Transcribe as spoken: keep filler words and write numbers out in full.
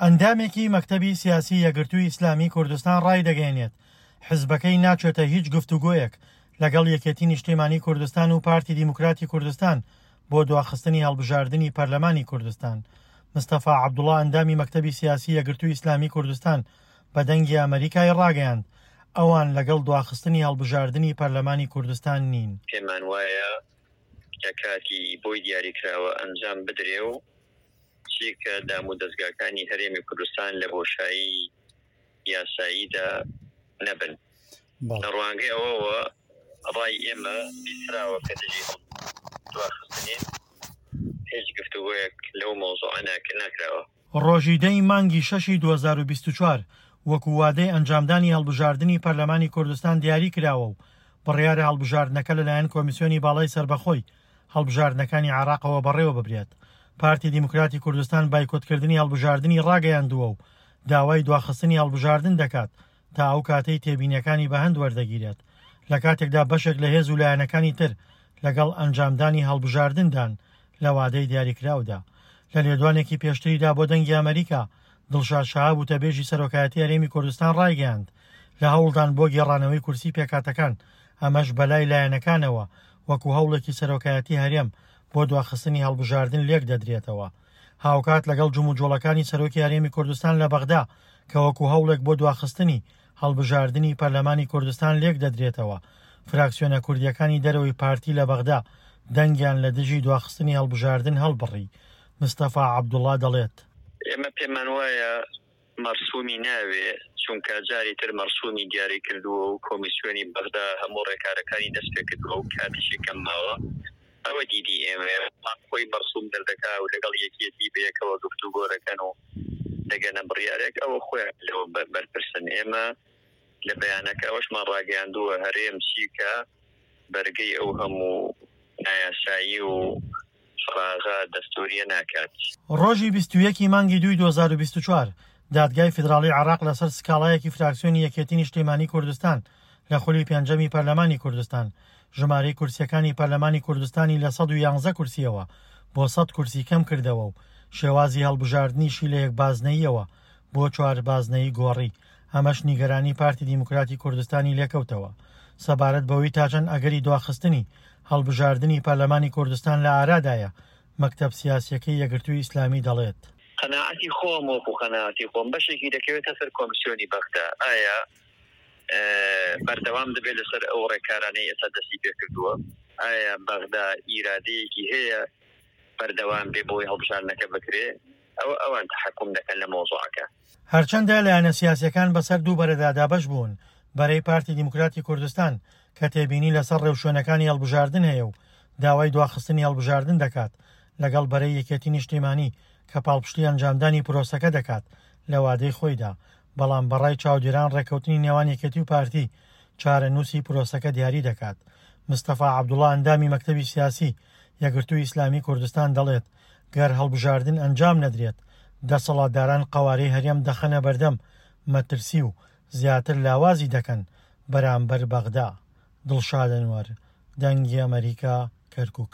ئەندامێکی مەکتەبی سیاسی یەکگرتووی ئیسلامی کوردستان ڕایدەگەیەنێت، حزبەکەی ناچێتە هیچ گفتوگۆیەک لەگەڵ یەکێتی نیشتیمانی کوردستان و پارتی دیموکراتی کوردستان بۆ دواخستنی هەڵبژاردنی پەرلەمانی کوردستان. مستەفا عەبدوڵا ئەندامی مەکتەبی سیاسی یەکگرتووی ئیسلامی کوردستان بە دەنگی ئەمەریکای ڕاگەیاند، ئەوان لەگەڵ دواخستنی هەڵبژاردنی پەرلەمانی کوردستان نین. پێمان وایە کە کاتی بۆی دیاریکراوە ئەنجام بدرێ و چیکە دام و دەزگاکانی هەرێمی کوردستان لە بۆشایی یاساییدا نەبن. لە ڕوانگەی ئەوەوە ڕای ئێمە بیستراوە کە دژی دواخستنین، هیچ گفتوگۆیەک لەو مەوزوعە ناکراوە. ڕۆژی دە ی مانگی شەشی دوو هەزار و بیست و چوار وەکو وادەی ئەنجامدانی هەڵبژاردنی پەرلەمانی کوردستان دیاری کراوە و بڕیارە هەڵبژاردنەکە لەلایەن کۆمیسیۆنی باڵای سەربەخۆی هەڵبژاردنەکانی عێراقەوە بەڕێوە ببرێت. پارتی دیموکراتی کوردستان بایکۆتکردنی هەڵبژاردنی ڕاگەیاندووە و داوای دواخستنی هەڵبژاردن دەکات تا ئەو کاتەی تێبینیەکانی بەهەند وەردەگیرێت، لە کاتێکدا بەشێک لە هێز و لایەنەکانی تر لەگەڵ ئەنجامدانی هەڵبژاردندان لە وادەی دیاریکراودا. لە لێدوانێکی پێشتریدا بۆ دەنگی ئەمریکا، دڵشاد شەهاب وتەبێژی سەرۆکایەتی هەرێمی کوردستان ڕایگەیاند، لە هەوڵدان بۆ گێڕانەوەی کورسی پێکهاتەکان، ئەمەش بەلای لایەنەکانەوە وەکو هەوڵێکی سەرۆکایەتی هەرێم بۆ دواخستنی هەڵبژاردن لێک دەدرێتەوە. هاوکات لەگەڵ جموجۆڵەکانی سەرۆکی هەرێمی کوردستان لە بەغدا کە وەکو هەوڵێک بۆ دواخستنی هەڵبژاردنی پەرلەمانی کوردستان لێک دەدرێتەوە، فراکسیۆنە کوردیەکانی دەرەوەی پارتی لە بەغدا دەنگیان لە دژی دواخستنی هەڵبژاردن هەڵبڕی. مستەفا عەبدوڵا دەڵێت، ئێمە پێمان وایە مەرسومی ناوێ، چونکە جاری تر مەرسومی دیاری کردووە و کۆمیسیۆنی بەغدا هەموو ڕێکارەکانی دەست پێکردووە و کاتیشی کەم ماوە. ئەوە دیدی ئێمەیە، بەڵام خۆی مەرسوم دەردەکا و لەگەڵ یەکیەتی بەیەکەوە گفتوگۆ دەکەن و دەگەنە بڕیارێک، ئەوە خۆیان لەوە بەرپرسن. ئێمە لە بەیانەکە ئەوەشمان ڕاگەیاندووە، هەرێم چیکە بەرگەی ئەو هەموو نایاسایی و فراغە دەستوریە ناکات. ڕۆژی بیست و یەک ی مانگی دووی دوو هەزار و بیست و چوار دادگای فیدراڵی عێراق لەسەر سکاڵایەکی فراکسیۆنی یەکێتی نیشتیمانی کوردستان لە خولی پێنجەمی پەرلەمانی کوردستان ژمارەی کورسیەکانی پەرلەمانی کوردستانی لە سەد و یانزە کورسیەوە بۆ سەد کورسی کەم کردەوە و شێوازی هەڵبژاردنیشی لە یەک بازنەییەوە بۆ چوار بازنەیی گۆڕی، ئەمەش نیگەرانی پارتی دیموکراتی کوردستانی لێکەوتەوە سەبارەت بەوەی تاچەند ئەگەری دواخستنی هەڵبژاردنی پەرلەمانی کوردستان لە ئارادایە، مەکتەب سیاسیەکەی یەکگرتووی ئیسلامی دەڵێت. قەناعەتی خۆم وەکو قەناعەتی خۆم بەشێکی دەکەوێتە سەر کۆمسیۆنی بەغدا، ئایا بەردەوام دەبێت لەسەر ئەو ڕێکارانەی ئێستا دەستی پێکردووە؟ ئایا بەغدا ئیرادەیەکی هەیە بەردەوام بێ بۆی هەڵبژاردنەکە بکرێ؟ ئەوە ئەوان تەحەکوم دەکەن لە مەوزوعەکە. هەرچەندە لایەنە سیاسیەکان بەسەر دوو بەرەدا دابەش بوون، بەرەی پارتی دیموکراتی کوردستان کە تێبینی لەسەر ڕێوشوێنەکانی هەڵبژاردن هەیە و داوای دواخستنی هەڵبژاردن دەکات، لەگەڵ بەرەی یەکێتی نیشتیمانی کە پاڵپشتی ئەنجامدانی پرۆسەکە دەکات لە وادەی خۆیدا، بەڵام بەڕای چاودێران ڕێککەوتنی نێوان یەکێتی و پارتی چارەنووسی پرۆسەکە دیاری دەکات. مستەفا عەبدوڵا ئەندامی مەکتەبی سیاسی یەکگرتووی ئیسلامی کوردستان دەڵێت، گەر هەڵبژاردن ئەنجام نەدرێت، دەسەڵاتداران قەوارەی هەرێم دەخەنە بەردەم مەترسی و زیاتر لاوازی دەکەن بەرامبەر بەغدا. دڵشاد ئەنوەر، دەنگی ئەمەریکا، کەرکوک.